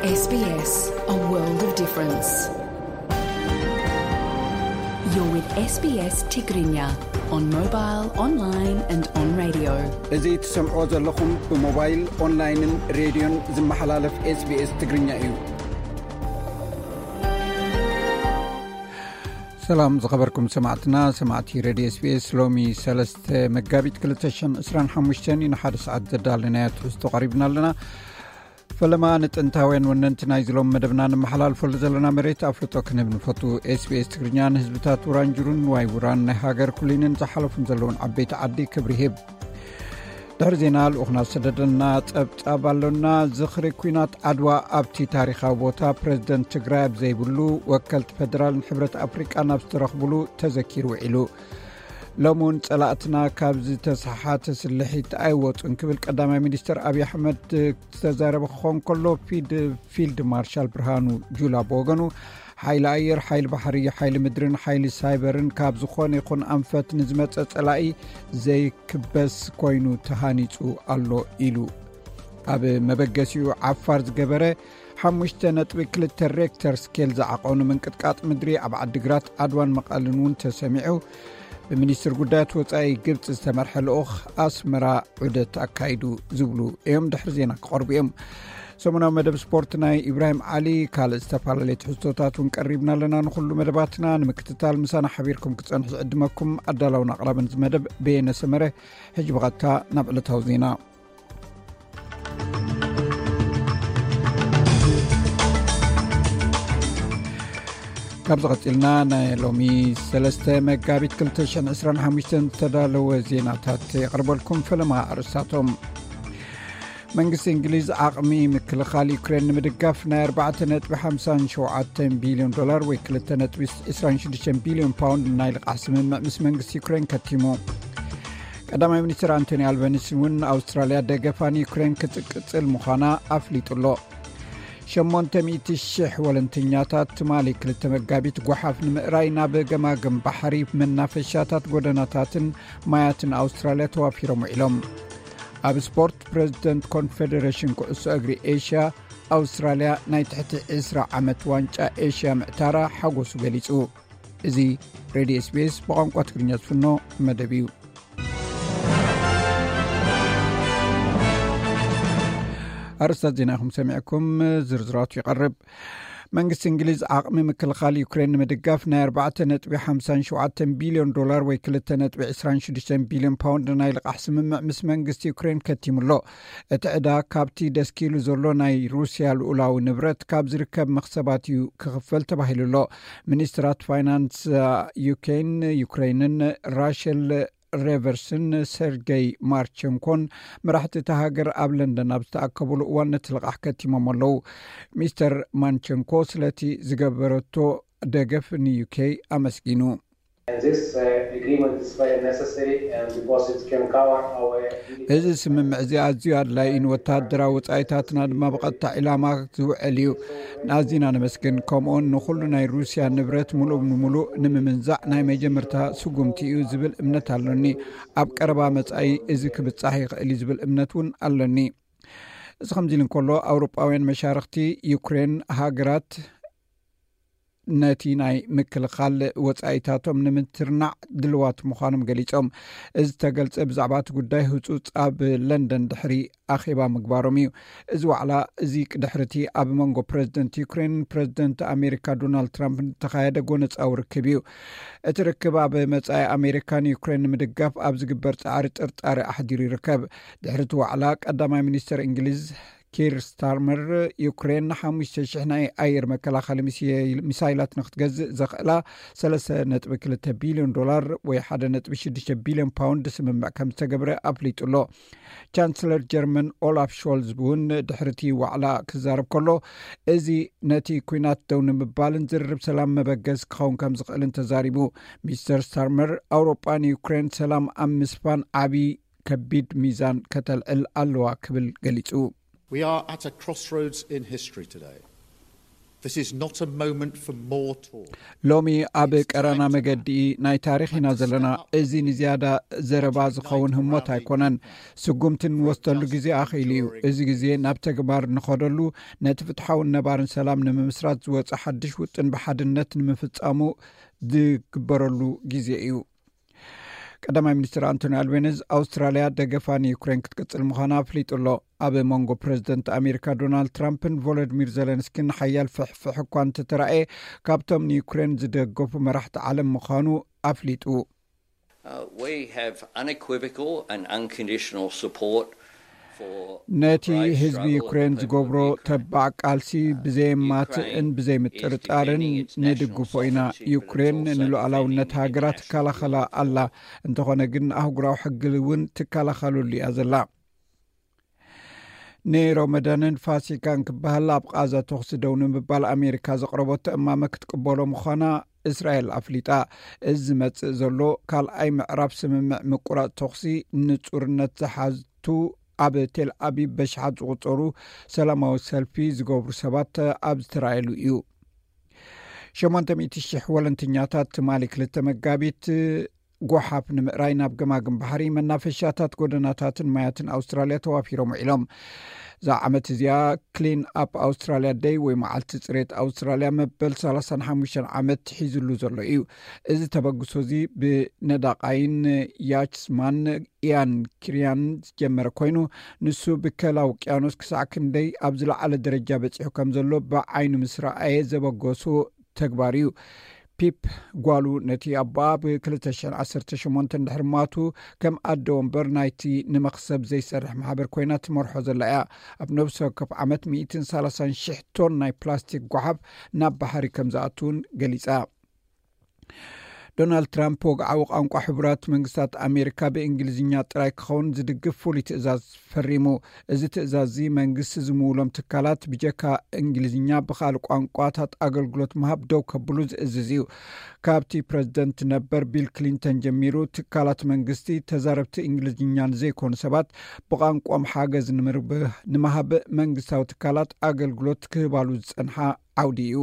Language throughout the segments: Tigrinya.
S B S, a world of difference. You're with S B S Tigrinya on mobile, online and on radio. እዚ ትሰምዖ ዘለኹም ብሞባይል፣ ኦንላይንን ሬድዮን ዝመሓላለፍ S B S ትግርኛ እዩ። ሰላም ዝኸበርኩም ሰማዕትና፣ ሰማዕቲ ሬድዮ S B S፣ ሎሚ ሰለስተ መጋቢት ክልተ ሽሕን ዕስራን ሓሙሽተን እዩ። ንሓደ ሰዓት ዘዳለናዮ ትሕዝቶ ቀሪብና ኣለና። ፈለማ ንጥንታውያን ወነንቲ ናይዚ ሎም መደብና ንመሓላልፈሉ ዘለና መሬት ኣፍልጦ ክንህብ ንፈቱ። S B S ትግርኛ ንህዝብታት ውራንጅሩን ንዋይ ውራን ናይ ሃገር ኩሊንን ዝሓለፉን ዘለውን ዓበይቲ ዓዲ ክብሪ ይህብ። ድሕሪ ዜና ልኡኽና ዝሰደደልና ጸብጻብ ኣሎና። ዝኽሪ ኲናት ዓድዋ ኣብቲ ታሪኻዊ ቦታ ፕረዚደንት ትግራይ ኣብ ዘይብሉ ወከልቲ ፌደራልን ሕብረት ኣፍሪቃ ናብ ዝተረኽብሉ ተዘኪሩ ውዒሉ። ሎሚ እውን ጸላእትና ካብ ዝተሰሓተ ስልሒት ኣይወጹን ክብል ቀዳማይ ሚኒስትር ኣብይ ኣሕመድ ዝተዛረበ ክኸውን ከሎ፣ ፊድ-፣ ፊልድ ማርሻል ብርሃኑ ጁላ ብወገኑ፣ ሓይሊ ኣየር፣ ሓይሊ ባሕሪ፣ ሓይሊ ምድርን ሓይሊ ሳይበርን ካብ ዝኾነ ይኹን ኣንፈት ንዝመጸ ጸላኢ ዘይክበስ ኮይኑ ተሃኒጹ ኣሎ ኢሉ። ኣብ መበገሲኡ ዓፋር ዝገበረ ሓሙሽተ ነጥቢ ክልተ ሬክተር ስኬል ዝዓቐኑ ምንቅጥቃጥ ምድሪ ኣብ ዓዲግራት፣ ዓድዋን መቐልን እውን ተሰሚዑ። ብሚኒስትር ጉዳያት ወጻኢ ግብጺ ዝተመርሐ ልኡኽ ኣስመራ ዑደት ኣካይዱ ዝብሉ እዮም ድሕሪ ዜና ክቐርቡ እዮም። ሰሙናዊ መደብ ስፖርት ናይ ኢብራሂም ዓሊ፣ ካልእ ዝተፈላለየ ትሕዝቶታት እውን ቀሪብና ኣለና። ንኹሉ መደባትና ንምክትታል ምሳና ሓቢርኩም ክትጸንሑ ዝዕድመኩም ኣዳላውን ኣቕራብን እዚ መደብ በየነ ሰመረ። ሕጂ ብቐጥታ ናብ ዕለታዊ ዜና። ካብዚ ቀጺልና ናይ ሎሚ ሰለስተ መጋቢት ክልተ ሽሕን ዕስራን ሓሙሽተን ዝተዳለወ ዜናታት የቕርበልኩም። ፈለማ ኣርእስታቶም። መንግስቲ እንግሊዝ ዓቕሚ ምክልኻል ዩክሬን ንምድጋፍ ናይ ኣርባዕተ ነጥቢ ሓምሳን ሸውዓተን ቢልዮን ዶላር ወይ ክልተ ነጥቢ ዕስራን ሽዱሽተን ቢልዮን ፓውንድ ናይ ልቓሕ ስምምዕ ምስ መንግስቲ ዩክሬን ከቲሙ። ቀዳማይ ሚኒስትር ኣንቶኒ ኣልበኒስ እውን ኣውስትራልያ ደገፋ ንዩክሬን ክትቅጽል ምዃና ኣፍሊጡ ኣሎ። ሸሞንተ ሚእቲ ሽሕ ወለንተኛታት ትማሊ ክልተ መጋቢት ጓሓፍ ንምእራይ ናብ ገማግም ባሕሪ፣ መናፈሻታት፣ ጎደናታትን ማያትን ኣውስትራልያ ተዋፊሮም ውዒሎም። ኣብ ስፖርት፣ ፕረዚደንት ኮንፌደሬሽን ኩዕሶ እግሪ ኤሽያ ኣውስትራልያ ናይ ትሕቲ ዕስራ ዓመት ዋንጫ ኤሽያ ምዕታራ ሓጎሱ ገሊጹ። እዚ ሬድዮ S B S ብቋንቋ ትግርኛ ዝፍኖ መደብ እዩ። ኣርእስታት ዜና ኢኹም ሰሚዕኩም፣ ዝርዝራቱ ይቐርብ። መንግስቲ እንግሊዝ ዓቕሚ ምክልኻል ዩክሬን ንምድጋፍ ናይ ኣርባዕተ ነጥቢ ሓምሳን ሸውዓተን ቢልዮን ዶላር ወይ ክልተ ነጥቢ ዕስራን ሽዱሽተን ቢልዮን ፓውንድ ናይ ልቓሕ ስምምዕ ምስ መንግስቲ ዩክሬን ከቲሙ ኣሎ። እቲ ዕዳ ካብቲ ደስኪሉ ዘሎ ናይ ሩስያ ልኡላዊ ንብረት ካብ ዝርከብ መኽሰባት እዩ ክኽፈል ተባሂሉ ኣሎ። ሚኒስትራት ፋይናንስ ዩኬን፣ ዩክሬንን ራሸል ሬቨርስን ሰርጌይ ማርቸንኮን መራሕቲ እታ ሃገር ኣብ ለንደን ኣብ ዝተኣከቡሉ እዋን ነቲ ልቓሕ ከቲሞም ኣለዉ። ሚስተር ማንቸንኮ ስለቲ ዝገበረቶ ደገፍ ንዩኬ ኣመስጊኑ። And this, uh, agreement is very necessary and because it can cover our እዚ ስምምዕ እዚ ኣዝዩ ኣድላዪ እዩ፣ ንወተሃደራዊ ወጻኢታትና ድማ ብቐጥታ ዒላማ ዝውዕል እዩ። ንኣዚና ነመስግን። ከምኡውን ንኹሉ ናይ ሩስያ ንብረት ምሉእ ብምሉእ ንምምንዛዕ ናይ መጀመርታ ስጉምቲ እዩ ዝብል እምነት ኣሎኒ። ኣብ ቀረባ መጻኢ እዚ ክብጻሕ ይኽእል እዩ ዝብል እምነት እውን ኣሎኒ። እዚ ከምዚ ኢሉ እንከሎ፣ ኣውሮጳውያን መሻርኽቲ ዩክሬን ሃገራት ነቲ ናይ ምክልኻል ወጻኢታቶም ንምትርናዕ ድልዋት ምዃኖም ገሊጾም። እዚ ዝተገልጸ ብዛዕባ እቲ ጉዳይ ህጹጽ ኣብ ለንደን ድሕሪ ኣኼባ ምግባሮም እዩ። እዚ ዋዕላ እዚ ድሕርቲ ኣብ መንጎ ፕረዚደንት ዩክሬን ፕረዚደንት ኣሜሪካ ዶናልድ ትራምፕ ዝተኻየደ ጎነጻዊ ርክብ እዩ። እቲ ርክብ ኣብ መጻኢ ኣሜሪካን ዩክሬን ንምድጋፍ ኣብ ዝግበር ጻዕሪ ጥርጣሬ ኣሕዲሩ ይርከብ። ድሕሪ እቲ ዋዕላ ቀዳማይ ሚኒስተር እንግሊዝ ኪር ስታርመር፣ ዩክሬን ንሓሙሽተ ሽሕ ናይ ኣየር መከላኸሊ ሚሳይላት ንክትገዝእ ዘኽእላ ሰለስተ ነጥቢ ክልተ ቢልዮን ዶላር ወይ ሓደ ነጥቢ ሽዱሽተ ቢልዮን ፓውንድ ስምምዕ ከም ዝተገብረ ኣፍሊጡ ኣሎ። ቻንስለር ጀርመን ኦላፍ ሾልዝ እውን ድሕርቲ ዋዕላ ክዛረብ ከሎ፣ እዚ ነቲ ኲናት ደው ንምባልን ዝርርብ ሰላም መበገስ ክኸውን ከም ዝኽእልን ተዛሪቡ። ሚስተር ስታርመር፣ ኣውሮጳ ንዩክሬን ሰላም ኣብ ምስፋን ዓቢ ከቢድ ሚዛን ከተልዕል ኣለዋ ክብል ገሊጹ። We are at a crossroads in history today. This is not a moment for more talk. ሎሚ ኣብ ቀራና መገዲ ናይ ታሪኽ ኢና ዘለና። እዚ ንዝያዳ ዘረባ ዝኸውን ህሞት ኣይኮነን። ስጉምቲ እንወስደሉ ግዜ ኣኽኢሉ እዩ። እዚ ግዜ ናብ ተግባር ንኸደሉ፣ ነቲ ፍትሓውን ነባርን ሰላም ንምምስራት ዝወፀ ሓድሽ ውጥን ብሓድነት ንምፍፃሙ ዝግበረሉ ግዜ እዩ። ቀዳማይ ሚኒስትር ኣንቶኒ ኣልቤኒዝ ኣውስትራልያ ደገፋ ንዩክሬን ክትቅጽል ምዃና ኣፍሊጡ ኣሎ። ኣብ መንጎ ፕረዚደንት ኣሜሪካ ዶናልድ ትራምፕን ቮሎዲሚር ዘለንስኪን ሓያል ፍሕፍሕ እኳ እንተተራእየ፣ ካብቶም ንዩክሬን ዝደገፉ መራሕቲ ዓለም ምዃኑ ኣፍሊጡ። Uh, we have unequivocal and unconditional support for ነቲ ህዝቢ ዩክሬን ዝገብሮ ተባዕ ቃልሲ ብዘየማትእን ብዘይምጥርጣርን ንድግፎ ኢና። ዩክሬን ንሉዓላውነት ሃገራ ትከላኸላ ኣላ። እንተኾነ ግን ኣህጉራዊ ሕጊ እውን ትከላኸለሉ እያ ዘላ። ንሮመዳንን ፋሲካን ክበሃል ኣብ ቃዛ ተኹሲ ደው ንምባል ኣሜሪካ ዘቕረበቶ እማመ ክትቅበሎ ምዃና እስራኤል ኣፍሊጣ። እዚ ዝመጽእ ዘሎ ካልኣይ ምዕራፍ ስምምዕ ምቁራጽ ተኹሲ ንጹርነት ዝሓቱ ኣብ ቴል ኣቢብ በሽሓት ዝቑጸሩ ሰላማዊ ሰልፊ ዝገብሩ ሰባት ኣብ ዝተራእየሉ እዩ። ሸሞንተ ሚእቲ ሽሕ ወለንተኛታት ትማሊ ክልተ መጋቢት ጎሓፍ ንምእራይ ናብ ገማግም ባሕሪ፣ መናፈሻታት፣ ጎደናታትን ማያትን ኣውስትራልያ ተዋፊሮም ውዒሎም። እዛ ዓመት እዚኣ ክሊን ኣፕ ኣውስትራልያ ደይ ወይ መዓልቲ ጽሬት ኣውስትራልያ መበል ሰላሳን ሓሙሽተን ዓመት ሒዝሉ ዘሎ እዩ። እዚ ተበግሶ እዚ ብነዳቓይን ያችስማን ኢያን ኪርያን ዝጀመረ ኮይኑ፣ ንሱ ብከላ ውቅያኖስ ክሳዕ ክንደይ ኣብ ዝለዓለ ደረጃ በጺሑ ከም ዘሎ ብዓይኑ ምስ ረኣየ ዘበገሶ ተግባር እዩ። ፒፕ ጓሉ ነቲ ኣቦኣ ብ ክልተ ሽሕን ዓሰርተ ሸሞንተን ድሕሪ ማቱ ከም ኣደ ወንበር ናይቲ ንመኽሰብ ዘይሰርሕ ማሕበር ኮይና ትመርሖ ዘላ እያ። ኣብ ነብሲ ወከፍ ዓመት ሚእትን ሰላሳን ሽሕ ቶን ናይ ፕላስቲክ ጓሓፍ ናብ ባሕሪ ከም ዝኣቱ እውን ገሊጻ። ዶናልድ ትራምፕ ወግዓዊ ቋንቋ ሕቡራት መንግስታት ኣሜሪካ ብእንግሊዝኛ ጥራይ ክኸውን ዝድግፍ ፍሉይ ትእዛዝ ፈሪሙ። እዚ ትእዛዝ እዚ መንግስቲ ዝምውሎም ትካላት ብጀካ እንግሊዝኛ ብኻልእ ቋንቋታት ኣገልግሎት ምሃብ ደው ከብሉ ዝእዝዝ እዩ። ካብቲ ፕረዚደንት ነበር ቢል ክሊንተን ጀሚሩ ትካላት መንግስቲ ተዛረብቲ እንግሊዝኛ ንዘይኮኑ ሰባት ብቋንቋም ሓገዝ ንምርብ-፣ ንምሃብ መንግስታዊ ትካላት ኣገልግሎት ክህባሉ ዝጸንሓ ዓውዲ እዩ።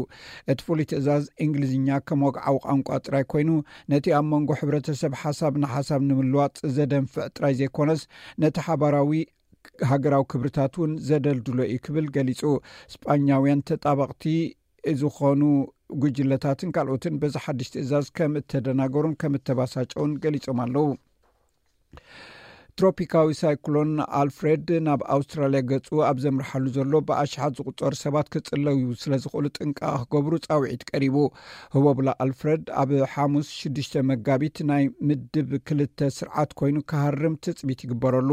እቲ ፍሉይ ትእዛዝ እንግሊዝኛ ከም ወግዓዊ ቋንቋ ጥራይ ኮይኑ፣ ነቲ ኣብ መንጎ ሕብረተሰብ ሓሳብ ንሓሳብ ንምልዋጥ ዘደንፍዕ ጥራይ ዘይኮነስ፣ ነቲ ሓባራዊ ሃገራዊ ክብርታት እውን ዘደልድሎ እዩ ክብል ገሊጹ። ስጳኛውያን ተጣበቕቲ ዝኾኑ ጉጅለታትን ካልኦትን በዚ ሓድሽ ትእዛዝ ከም እተደናገሩን ከም እተባሳጨውን ገሊጾም ኣለዉ። ትሮፒካዊ ሳይክሎን ኣልፍሬድ ናብ ኣውስትራልያ ገጹ ኣብ ዘምርሓሉ ዘሎ፣ ብኣሽሓት ዝቑጸሩ ሰባት ክጽለዩ ስለ ዝኽእሉ ጥንቃቐ ክገብሩ ጻውዒት ቀሪቡ። ህቦብላ ኣልፍሬድ ኣብ ሓሙስ ሽዱሽተ መጋቢት ናይ ምድብ ክልተ ስርዓት ኮይኑ ክሃርም ትጽቢት ይግበረሉ።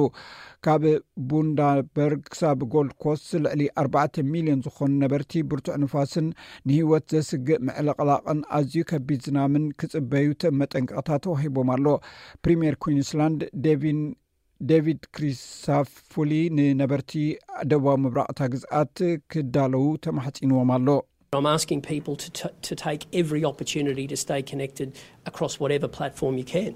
ካብ ቡንዳበርግ ክሳብ ጎልድ ኮስት ልዕሊ ኣርባዕተ ሚልዮን ዝኾኑ ነበርቲ ብርቱዕ ንፋስን ንህይወት ዘስግእ ምዕልቕላቕን ኣዝዩ ከቢድ ዝናምን ክጽበዩ ተ-፣ መጠንቀቕታ ተዋሂቦም ኣሎ። ፕሪምየር ኩዊንስላንድ ዴቪን፣ ዴቪድ ክሪሳፉሊ ንነበርቲ ደቡባዊ ምብራቕ እታ ግዝኣት ክዳለዉ ተማሕጺንዎም ኣሎ። I'm asking people to, t- to take every opportunity to stay connected across whatever platform you can.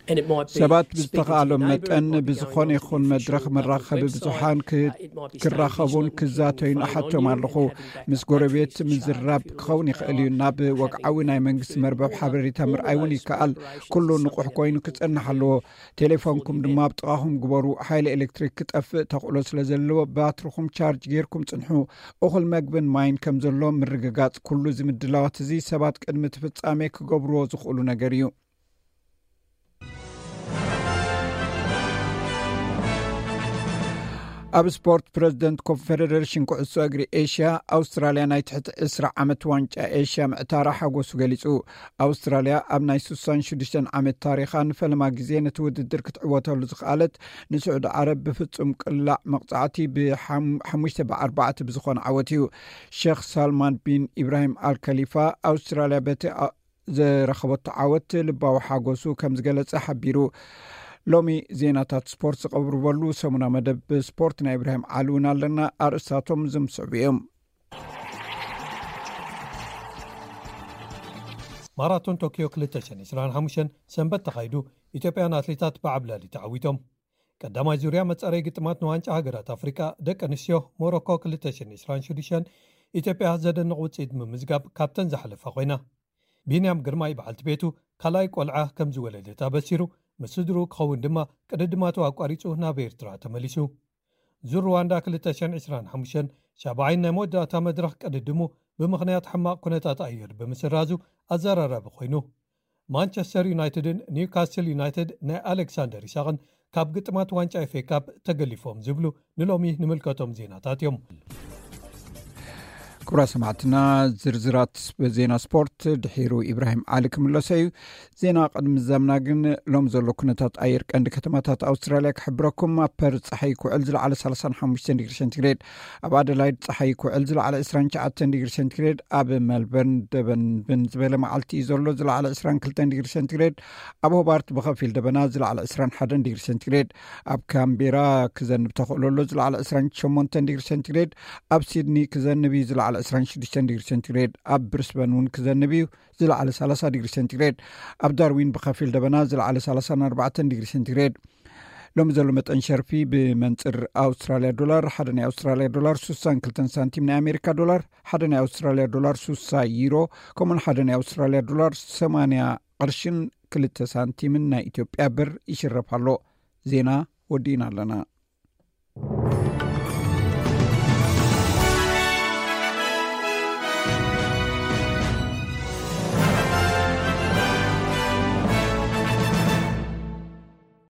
And it might be ሰባት speaking to ብዝተኻእሎም your neighbour, it መጠን might be ብዝኾነ going on to ይኹን the መድረኽ official መራኸቢ government's ብዙሓን website, ክ- uh, it might be staying ክራኸቡን vigilant, ክዛተዩን keeping the phone on ኣሓቶም you ኣለኹ። and having that ምስ ጎረቤት battery charge, ምዝራብ if you ክኸውን want to ይኽእል እዩ። ናብ have ወግዓዊ ናይ መንግስቲ መርበብ ሓበሬታ ምርኣይ እውን ይከኣል። ኩሉ ንቑሕ ኮይኑ ክጸንሕ ኣለዎ። ቴሌፎንኩም ድማ ኣብ ጥቓኹም ግበሩ። ሓይሊ ኤሌክትሪክ ክጠፍእ ተኽእሎ ስለ ዘለዎ ባትርኹም ቻርጅ ጌርኩም ጽንሑ። እኹል መግብን ማይን ከም ዘሎ ምርግጋጽ። ኩሉ እዚ ምድላዋት እዚ ሰባት ቅድሚ እቲ ፍጻሜ ክገብርዎ ዝኽእሉ ነገር እዩ። ኣብ ስፖርት፣ ፕረዚደንት ኮንፌደሬሽን ኩዕሶ እግሪ ኤሽያ ኣውስትራልያ ናይ ትሕቲ ዕስራ ዓመት ዋንጫ ኤሽያ ምዕታራ ሓጎሱ ገሊጹ። ኣውስትራልያ ኣብ ናይ ስሳን ሽዱሽተን ዓመት ታሪኻ ንፈለማ ግዜ ነቲ ውድድር ክትዕወተሉ ዝኸኣለት ንስዑዲ ዓረብ ብፍጹም ቅላዕ መቕጻዕቲ ብሓሙሽተ ብኣርባዕተ ብዝኾነ ዓወት እዩ። ሸኽ ሳልማን ቢን ኢብራሂም ኣልከሊፋ ኣውስትራልያ በቲ ኣ- ዘረኸበቶ ዓወት ልባዊ ሓጎሱ ከም ዝገለጸ ሓቢሩ። ሎሚ ዜናታት ስፖርት ዝቐርበሉ ሰሙና መደብ ስፖርት ናይ ኢብራሂም ዓሊ እውን ኣለና። ኣርእስታቶም ዝምስዕቡ እዮም። ማራቶን ቶኪዮ ክልተ ሽሕን ዕስራን ሓሙሽተን ሰንበት ተኻይዱ። ኢትዮጵያን ኣትሌታት ብዓብላሊ ተዓዊቶም። ቀዳማይ ዙርያ መጻረይ ግጥማት ንዋንጫ ሃገራት ኣፍሪቃ ደቂ ኣንስትዮ ሞሮኮ ክልተ ሽሕን ዕስራን ሽዱሽተን ኢትዮጵያ ዘደንቕ ውፅኢት ምምዝጋብ ካብተን ዝሓለፋ ኮይና። ቢንያም ግርማይ በዓልቲ ቤቱ ካልኣይ ቆልዓ ከም ዝወለደት ኣበሲሩ፣ ምስ ስድሩ ክኸውን ድማ ቅድድማቱ ኣቋሪጹ ናብ ኤርትራ ተመሊሱ። ዙር ሩዋንዳ ክልተ ሽሕን ዕስራን ሓሙሽተን ሻብዓይን ናይ መወዳእታ መድረኽ ቅድድሙ ብምኽንያት ሕማቕ ኩነታት ኣየር ብምስራዙ ኣዘራራቢ ኮይኑ። ማንቸስተር ዩናይትድን ኒውካስል ዩናይትድ ናይ ኣሌክሳንደር ኢሳቕን ካብ ግጥማት ዋንጫ ኤፍ ኤ ካፕ ተገሊፎም ዝብሉ ንሎሚ ንምልከቶም ዜናታት እዮም። ክቡራ ሰማዕትና፣ ዝርዝራት ዜና ስፖርት ድሒሩ ኢብራሂም ዓሊ ክምለሶ እዩ። ዜና ቅድሚ ዛምና ግን ሎም ዘሎ ኩነታት ኣየር ቀንዲ ከተማታት ኣውስትራልያ ክሕብረኩም። ኣብ ፐርዝ ጸሓይ ክውዕል ዝለዓለ ሰላሳን ሓሙሽተን ዲግሪ ሴንቲግሬድ፣ ኣብ ኣደላይድ ጸሓይ ክውዕል ዝለዓለ ዕስራን ትሽዓተን ዲግሪ ሴንቲግሬድ፣ ኣብ መልበርን ደበንብን ዝበለ መዓልቲ እዩ ዘሎ ዝለዓለ ዕስራን ክልተን ዲግሪ ሴንቲግሬድ፣ ኣብ ሆባርት ብኸፊል ደበና ዝለዓለ ዕስራን ሓደን ዲግሪ ሴንቲግሬድ፣ ኣብ ካምቤራ ክዘንብ ተኽእሎ ኣሎ ዝለዓለ ዕስራን ሸሞንተን ዲግሪ ሴንቲግሬድ፣ ኣብ ሲድኒ ክዘንብ እዩ ዝለዓለ ዕስራን ሽዱሽተን ዲግሪ ሴንቲግሬድ፣ ኣብ ብሪስበን እውን ክዘንብ እዩ ዝለዓለ ሰላሳ ዲግሪ ሴንቲግሬድ፣ ኣብ ዳርዊን ብኸፊል ደበና ዝለዓለ ሰላሳን ኣርባዕተን ዲግሪ ሴንቲግሬድ። ሎሚ ዘሎ መጠን ሸርፊ ብመንፅር ኣውስትራልያ ዶላር፣ ሓደ ናይ ኣውስትራልያ ዶላር ሱሳን ክልተን ሳንቲም፣ ናይ ኣሜሪካ ዶላር ሓደ ናይ ኣውስትራልያ ዶላር ሱሳ፣ ዩሮ ከምኡን ሓደ ናይ ኣውስትራልያ ዶላር ሰማንያ ቅርሽን ክልተ ሳንቲምን ናይ ኢትዮጵያ ብር ይሽረፍ ኣሎ። ዜና ወዲእና ኣለና።